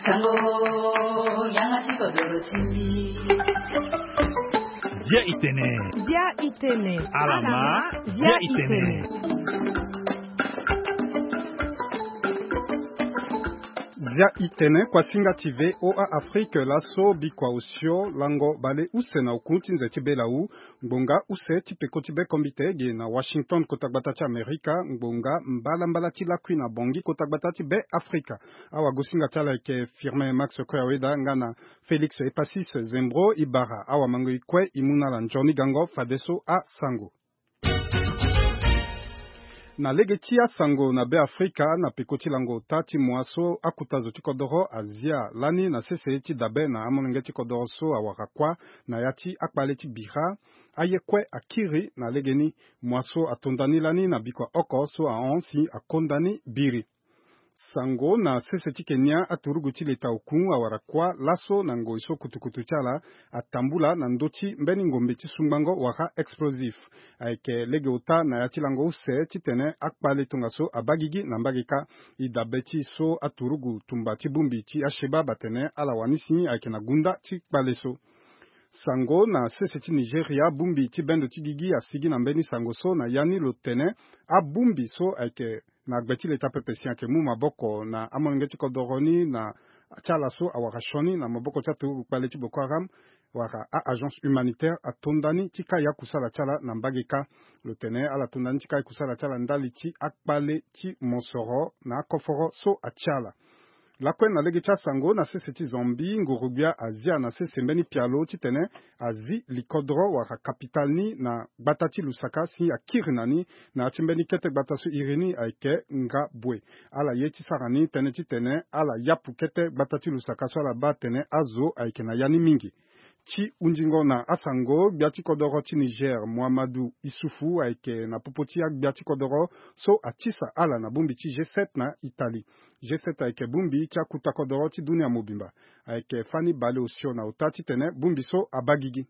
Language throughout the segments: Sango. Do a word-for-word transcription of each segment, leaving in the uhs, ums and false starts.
Sango, yanga ti kodoro ti. Bia itene. Bia itene. Alama. Bia itene. Bia itene, kuasinga ti V O A Afrique, laso bikua osio lango bale use na oku ti nze ti belau. Ngbonga use ti peko ti be kombite ge na Washington, kota gbata ti Amerika, ngbonga mbalambala ti lakui na Bangui, kota gbata ti be Afrika. Awagosinga ti ala ayeke Firmin Max Koyaweda nga na Félix Epasis Zembro. E bara awamango e kue e mu na ala nzoni gango fadeso asango. Na lege ti asango na Be Afrika, na peko ti lango ota ti mua so akuta zo ti kodoro azia lani na sese ti dabe na amolenge ti kodoro so awara kuâ na ya ti akpale ti bira, aye kue akiri na legeni. Mua so atonda ni lani na bikua oko so ahon si akonda ni biri. Sango na sese ti Kenya, aturugu ti leta oku awara kuâ laso na ngoi so kutukutu ti ala atambula na ndö ti mbeni ngombe ti sungbango wala explosif. Ayeke lege ota na ya ti lango use titene akpale tongaso abaa gigi na mbage kâ. E dabe ti so aturugu tumba ti bongbi ti Al-Shabaab atene ala wani si ayeke na gunda ti kpale so. Sango na sese ti Nigeria, bongbi ti bendo ti gigi asigi na mbeni sango so na ya ni lo tene abongbi so ayeke na gbe ti leta pepe si ayeke mu maboko na amolenge ti kodoro ni na ti ala so awara sioni na maboko ti aturugu kpale ti Boko Haram wala a-agence humanitaire atonda ni ti kai akusala ti ala na mbage kâ. Lo tene ala tonda ni ti kai kusala ti ala ndali ti akpale ti mosoro na akoforo so atia ala. Lakue na lege ti asango, na sese ti Zambie, nguru-gbia azia na sese mbeni pialo titene azi likodro wala kapitale ni na gbata ti Lusaka si akiri na ni na ya ti mbeni kete gbata so iri ni ayeke Ngabue. Ala ye ti sara ni tënë titene ala yapu kete gbata ti Lusaka so ala baa atene azo ayeke na ya ni mingi. Ti hunzingo na asango, gbia ti kodoro ti Niger, Muhammadu Issoufou, ayeke na popo ti agbia ti kodoro so atisa ala na bongbi ti G sept na Italie. G sept ayeke bongbi ti akuta kodoro ti dunia mobimba. Ayeke fani bale osio na ota titene bongbi so abaa gigi.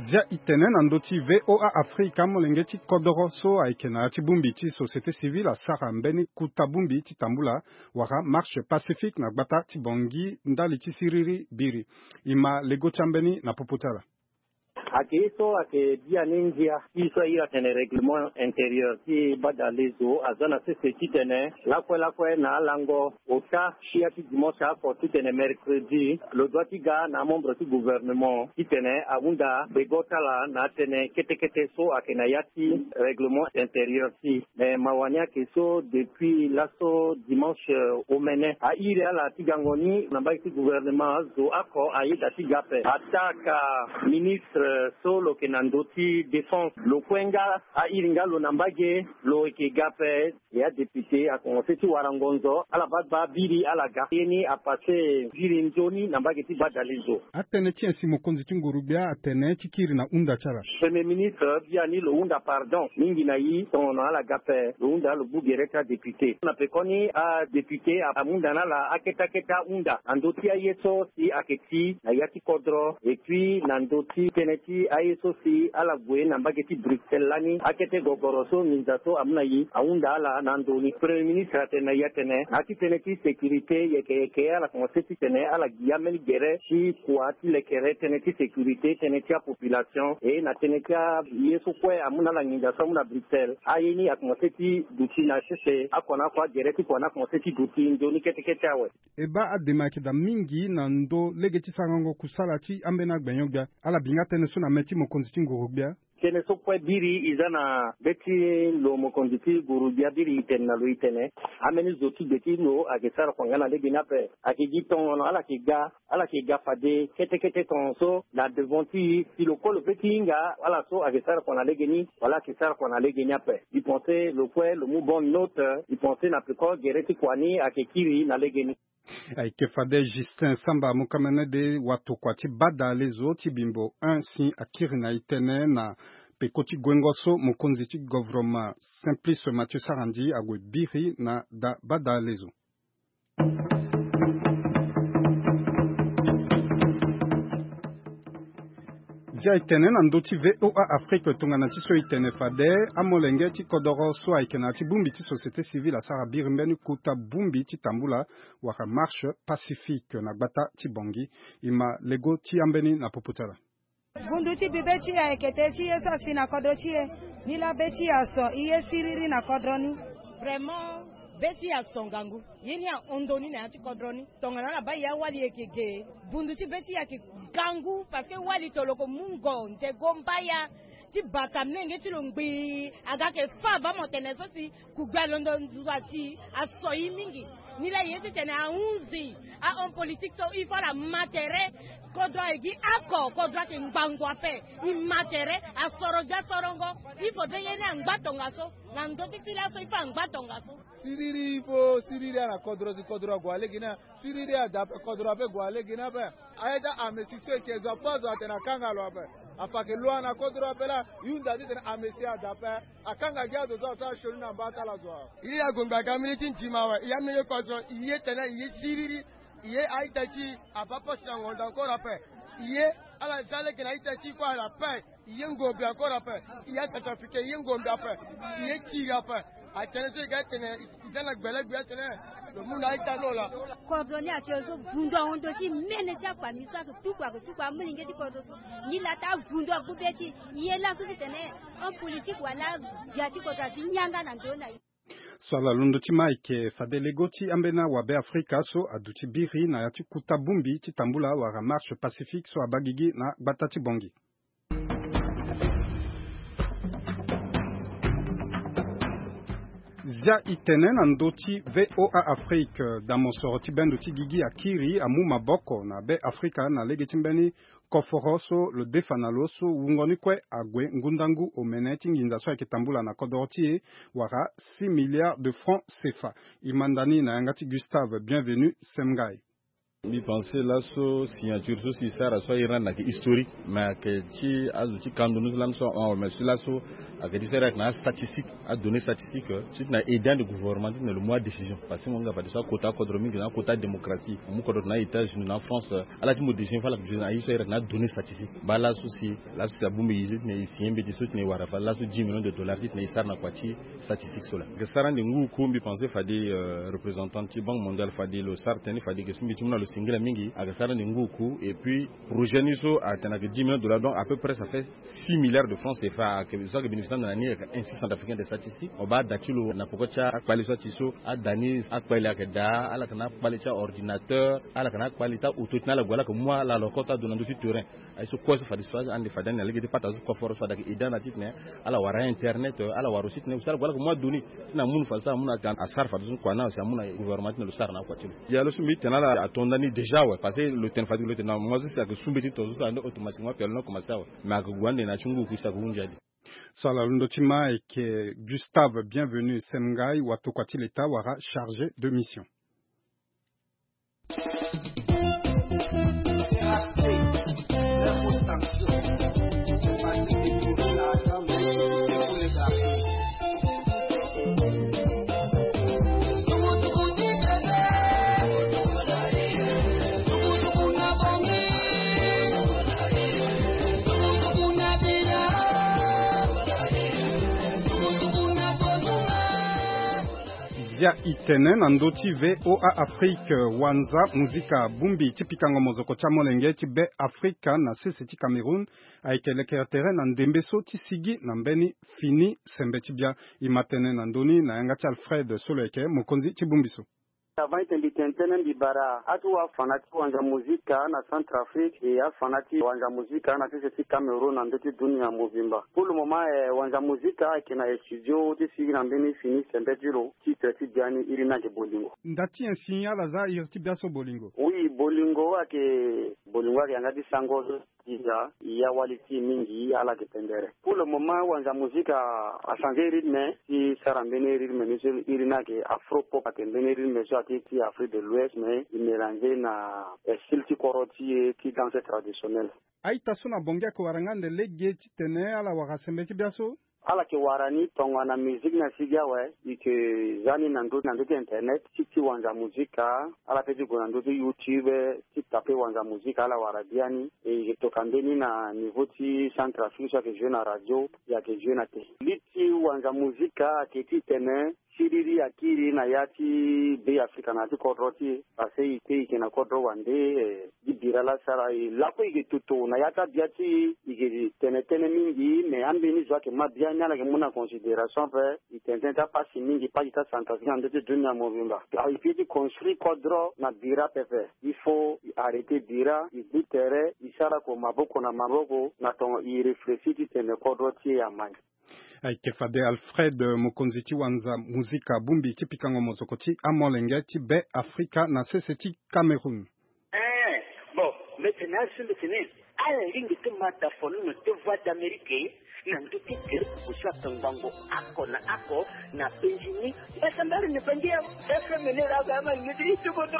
Zia e tene na ndö ti V O A Afrika, molenge ti kodoro so ayeke na ya ti bongbi ti société civile asara mbeni kuta bongbi ti tambula wala marche pacifique na gbata ti Bangui ndali ti siriri biri. E ma lego ti ambeni na popo ti ala. Ayeke ye so ayeke biani ngia ti so a iri atene règlement intérieur ti badalezo aza na sese titene lakue lakue na alango ota sia ti dimanche oko titene mercredi lo doit ti ga na amembre ti gouvernement titene ahunda bego ti ala na atënë kete kete so ayeke na ya ti règlement intérieur ti. Me mawa ni ayeke so depuis laso dimanche omene a iri ala ti gango ni na mbage ti gouvernement, zo oko ayeda ti ga ape. Ataa ka ministre so lo yeke na ndö ti défense lo kue nga a iri nga lo na mbage, lo yeke ga ape. E adéputé akomense ti wara ngonzo, ala baa baa biri ala ga. Ye ni apasse biri nzoni na mbage ti badalezo. Atënë ti nyen si mokonzi ti nguru-gbia atene ti kiri na hunda ti ala? Premier ministre biani lo hunda pardon mingi na e, tongono ala ga ape, lo hunda lo gbu gere ti adéputé. Na pekoni adéputé amu nda na ala akete akete ahunda na ndö ti aye so si ayeke ti na ya ti kodro, et puis na ndö ti tënë ti aye so si ala gue na mbage ti Bruxelles lani, akete gogoro so nginza so amu na e ahunda ala na ndo ni. Premier ministre atene na e atene na ya ti tënë ti sécurité, yeke yeke ala komanse titene ala gi ambeni gere ti kua ti lekere tënë ti sécurité, tënë ti apopulation, e na tënë ti aye so kue amu na ala nginza so amu na Bruxelles. Aye ni akomanse ti duti na sese akua na akua, agere ti kua ni akomanse ti duti nzoni kete kete awe. E baa adema ayeke daa mingi na ndö lege ti sarango kusala ti ambeni agbenyo-gbia. Ala bi nga tënë so na mê ti mokonzi ti nguru-gbia. Tënë so kue biri e za na be ti lo mokonzi ti nguru-gbia, biri e tene na lo e tene ambeni zo ti gbe ti lo ayeke sara kua nga na lege ni ape. Ayeke gi tongono ala yeke ga, ala yeke ga fade kete kete tongaso na devant ti e, si lo kue lo pe ti hinga ala so ayeke sara kua na lege ni wala ayeke sara kua na lege ni ape. E pense lo kue lo mu bonne note, e pense na peko gere ti kua ni ayeke kiri na lege ni. Ayeke fade Justin Samba Mukamene de watokua ti badalezo ti Bimbo un si akiri na e tënë na peko ti guengo so mokonzi ti govroma Simplice Mathieu Sarandji ague biri na da badalezo. Ti aye tene na ndö ti VOA Afrique tongana ti so e tene fade, amolenge ti kodoro so ayeke na ya ti bongbi ti société civile asara biri mbeni kota bongbi ti tambula wala marche pacifique na gbata ti Bangui. E ma lego ti ambeni na popo ti ala. Vundu ti bibe ti e ayeke te ti ye so asi na kodro ti e. Nilaa be ti e aso, e ye siriri na kodro ni. Vraiment, be ti e aso ngangu. Ye ni ahon ndo ni na ya ti kodro ni. Tongana ala baa e awali e yeke ge. Vundu ti be ti e ayeke ngangu parce que wali toloko mungo nzego mbaya ti bata menge ti lo ngbii. Aga ayeke fâ baa mo tene so si kugbe alondo nduzu ati aso e mingi. Nilaa e ye titene ahunzi ahomme politique so il faut ala ma tere. Kodro ayeke gi oko, kodro ayeke ngbangbo ape. E ma tere, asoro gbia sorongo. Il faut be ye ni angba tongaso na ndö ti ti laso, il faut angba tongaso. Siriri, il faut siriri ala kodro si kodro ague alege ni. Siriri ada ape, kodro ape gue alege ni ape. Aye ti amesi so eke zo ape azo atene akanga lo ape. Afa ake lo ana kodro ape laa, e hunda titene amesi ada ape. Akanga gi azo so asara sioni na mba ti ala zo awe. E ye ague ngba ka mbeni ti ndima awe, e ye ameni kodro, e ye tene, e ye siriri. E ye a-ita ti e abaa poste na ngonda encore ape. E ye ala za lege na a-ita ti e kue ala ape. E ye ngombe encore ape. E ye acentrafricain, e ye ngombe ape. E ye kiri ape. Atene so e ga tene e za na gbele gbe atene lo mu na a-ita lo laa. Kodro ni atene so vundu ahon ndo ti mene ti akpami so ayeke tuku, ayeke tuku amolenge ti kodro so. Nilaa taa vundu agbu be ti e. E ye laso titene homme politique wala gbia ti kodro azi yanga na ndo na e. So ala londo ti ma ayeke fade lego ti ambeni awabe Afrika so aduti biri na ya ti kota bongbi ti tambula wala marche pacifique so abaa gigi na gbata ti Bangui. Zia e tene na ndö ti VOA Afrique, da mosoro ti bendo ti gigi akiri amu maboko na be Afrika na lege ti mbeni koforo so lo defa na lo so wungo ni kue ague ngundangu omene ti nginza so ayeke tambula na kodoro ti e wala six milliards de francs CFA. E manda ni na yanga ti Gustave Bienvenu Semngai. Mbi pense laso signature so si e sara so airi ni ayeke historique, mais ayeke ti azo ti kando ni so lani so ahon awe, mais si laso ayeke ti so airi ayeke na astatistique, adonnée statistique, ti tene aide ande gouvernement ti tene lo mu adécision. Parce que mo hinga fadeso akota akodro mingi na akota adémocratie. Mo mu kodro tene a-États-Unis na France, ala ti mo décision fo ala yeke décision na aye so airi ayeke na adonnée statistique. Baa laso si laso si abongbi e zi titene e signé mbeti so titene e wara fade laso dix millions de dollars titene e sara na kua ti statistique so laa. Ayeke sara ande ngu oku, mbi pense fade, euh, représentant ti Banque mondiale fade lo sara tënë ni fade ayeke so mbi ti mu na lo singila mingi. Ayeke sara ande ngu oku, et puis projet ni so atene ayeke dix millions de dollars, donc à peu près ça fait six milliards de francs CFA. Ayeke so ayeke bénéficier ande na ni ayeke Institut centrafricain des statistiques. O baa ada ti lo na peko ti akpale so ati so, ada ni akpale ayeke daa, ala yeke na akpale ti aordinateur, ala yeke na akpale ti aauto ti tena ala gue ala yeke mu ala lokota ado na ndö ti terrain. Aye so kue so fadeso ande fade ande na lege ti pata so koforo so fade ayeke aide ande titene ala wara internet, ala wara aussi titene aussi ala gue ala yeke mu adonnée titene amu fadeso amu na asara fadeso kua ni si amu na gouvernement titene lo sara na akua ti lo. Dialo so mbi tene ala ato nda ni déjà awe, parce que lo tene fade lo tene na mo so si ayeke su mbeti ti to so so ande automatiquement pialo ni akomanse awe. Mais ayeke gue ande na ya ti ngu oku si ayeke hunzi ade. So ala londo ti ma ayeke Gustave Bienvenu Semngai, watokua ti leta wala chargé de mission. Zia e tene na ndö ti VOA Afrique, wanza muzika bongbi ti pikango mozoko ti amolenge ti Be Afrika na sese ti Cameroun ayeke lekere tere na ndembe so ti sigi na mbeni fini sembe ti bia. E ma tene na ndö ni na yanga ti Alfred so lo yeke mokonzi ti bongbi so. Avant ete mbi tene tënë mbi bara atu afana ti wanza muzika na Centrafrique e afana ti wanza muzika na sese ti Cameroun na ndö ti dunia mobimba. Pour le moment, eh, wanza muzika ayeke na studio ti sigi na mbeni fini sembe ti lo. Titre ti bia ni iri ni ayeke Bolingo. Nda ti nyen si ala za iri ti bia so Bolingo? Oui, Bolingo ayeke, Bolingo ayeke yanga ti sango so ti za e awali ti e mingi ala yeke pendere. Pour le moment wanza muzika achanger rythme ti sara mbeni rythme ni so iri ni ayeke afro pop, ayeke mbeni rythme so ayeke ti Afrique de l'Ouest mais e mélanger na, eh, style ti koro ti e ti danse traditionnel. A-ita so na Bangui ayeke wara nga ande lege titene ala wara sembe ti bia so? Ala yeke wara ni tongana musique na sigi awe, e yeke za ni na ndö ti internet ti ti wanza musique. Ala pe ti gue na ndö ti YouTube ti tape wanza musique, ala wara biani. E yeke toka mbeni na niveau ti Centrafrique so ayeke joue na radio, e yeke joue na télé. Li ti wanza musique ayeke titene siriri akiri na ya ti Be Afrika na ya ti kodro ti e. Parce que e te e yeke na kodro wande, e, gi bira laa sara e lakue e yeke toto na ya ti abia ti e. E yeke tene tënë mingi, mais ambeni zo ayeke ma biani ala yeke mu na considération ape. E tene tënë ti apasi mingi, pasi ti aCentrafrique na ndö ti dunia mobimba. E peut ti construire kodro na bira pepe. Il faut e arrêter bira, e gbu tere, e sara ko maboko na maboko na tongo e réfléchir titene kodro ti e ama ni. Ayeke fade Alfred, mokonzi ti wanza muzika bongbi ti pikango mozoko ti amolenge ti Be Afrika na sese ti Cameroun. Eh, bon, mbi tene azo so mbi tene ala lingbi ti ma dafolono ti Voix d'Amérique na ndö ti gere pusu aka ngbongo oko na oko na penzi ni. Mbasambala ni bangi ya F M ni la ga ma ni ti tuko do.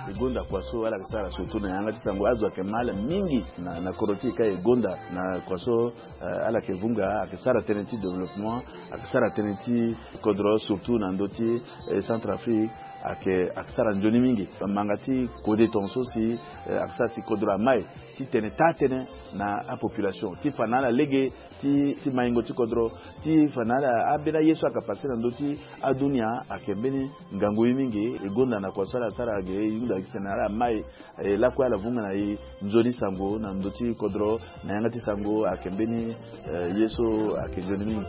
E gonda kua so ala yeke sara surtout na yanga ti sango, azo ayeke ma ala mingi na, na kodro ti e ka e gonda na kua so, eh, ala yeke vunga, ayeke sara tënë ti développement, ayeke sara tënë ti kodro, surtout na ndö ti, eh, Centrafrique, ayeke, ayeke sara nzoni mingi. Manga ti kode tongaso si, eh, ayeke sara si kodro ama e ti tene taa-tënë na apopulation, ti fa na ala lege ti, ti maingo ti kodro, ti fa na ala ambeni aye so ayeke pase na ndö ti adunia, ayeke mbeni ngangu ye mingi. E gonda na kua so ala sara ge, e hunda gi tene ala ma e, e lakue ala vunga na e nzoni sango na ndö ti kodro, na yanga ti sango ayeke mbeni, eh, ye so ayeke nzoni mingi.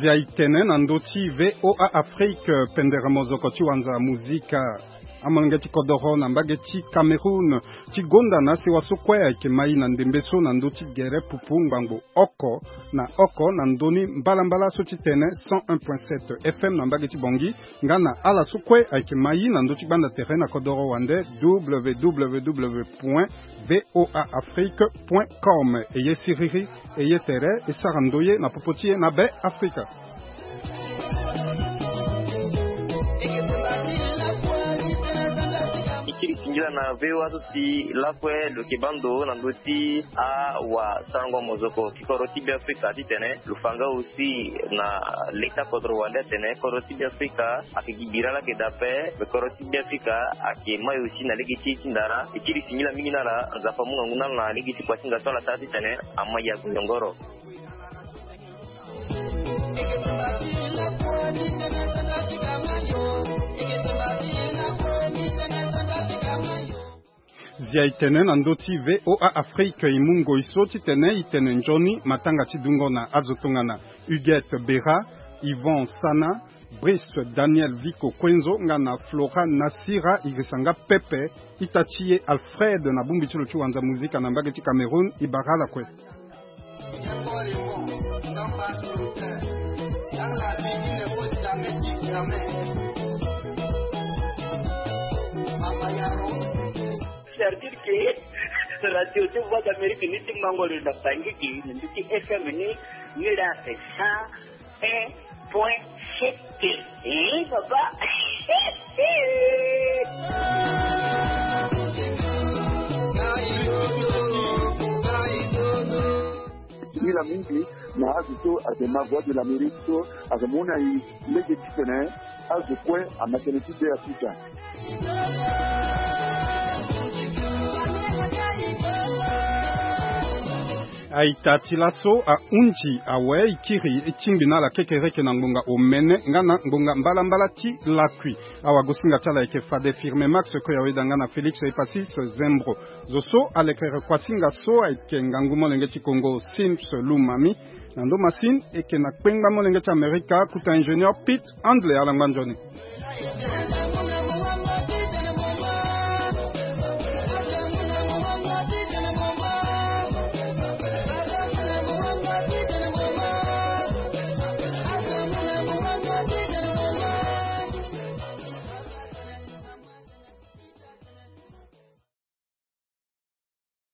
Zia e tene na ndö ti V O A Afrique, pendere mozoko ti wanza muzika. Amolenge ti kodoro na mbage ti Cameroun ti gonda na sewa so kue ayeke ma e na ndembe so na ndö ti gere pupu ngbangbo oko na oko na ndö ni mbalambala so ti tene cent un point sept F M na mbage ti Bangui, nga na ala so kue ayeke ma e na ndö ti gbanda tere na kodoro wande, W W W point V O A Afrique point com. E ye siriri, e ye tere, e sara ndoye na popo ti e na Be Afrika. E kiri singila na V O A so si lakue lo yeke baa ndo na ndö ti awasarango mozoko ti kodro ti Be Afrika titene lo fa nga aussi na leta kodro wande atene kodro ti Be Afrika ayeke gi bira laa ayeke daa ape, me kodro ti Be Afrika ayeke ma e aussi na lege ti e ti ndara. E kiri singila mingi na ala, Nzapa amu ngangu na ala na lege ti kua ti hinga so ala sara titene ama e ague nyongoro. Zia e tene na ndö ti V O A Afrique, e mu ngoi so titene e tene nzoni matanga ti dungo na azo tongana Huguette Bera, Yvon Sana, Brice Daniel Vico Kuenzo nga na Flora Nasira. E girisa nga pepe ita ti e Alfred na bongbi ti lo ti wanza muzika na mbage ti Cameroun, e bara ala kue. C'est-à-dire que radio ti Voix d'Amérique ni ti mango lo na Bangui, ni ti F M ni, ni la c'est ça. Un point sept. Eh, papa. Singila mingi na azo so ayeke ma Voix de l'Amérique so ayeke mu na e lege titene azo kue ama tënë ti Be Afrika. Aita ti laso ahunzi awe e kiri e tingbi na ala kekereke na ngbonga omene nga na ngbonga mbalambala ti lakui. Awagosinga ti ala ayeke fade Firme Max Koyaoeda nga na Félix Epasis Zembro. Zo so alekere kuasinga so ayeke ngangu molenge ti Kongo Sims Lumami. Na ndo masini e yeke na kpengba molenge ti Amerika, kota ingénieur Pete Handley. Ala ngba nzoni.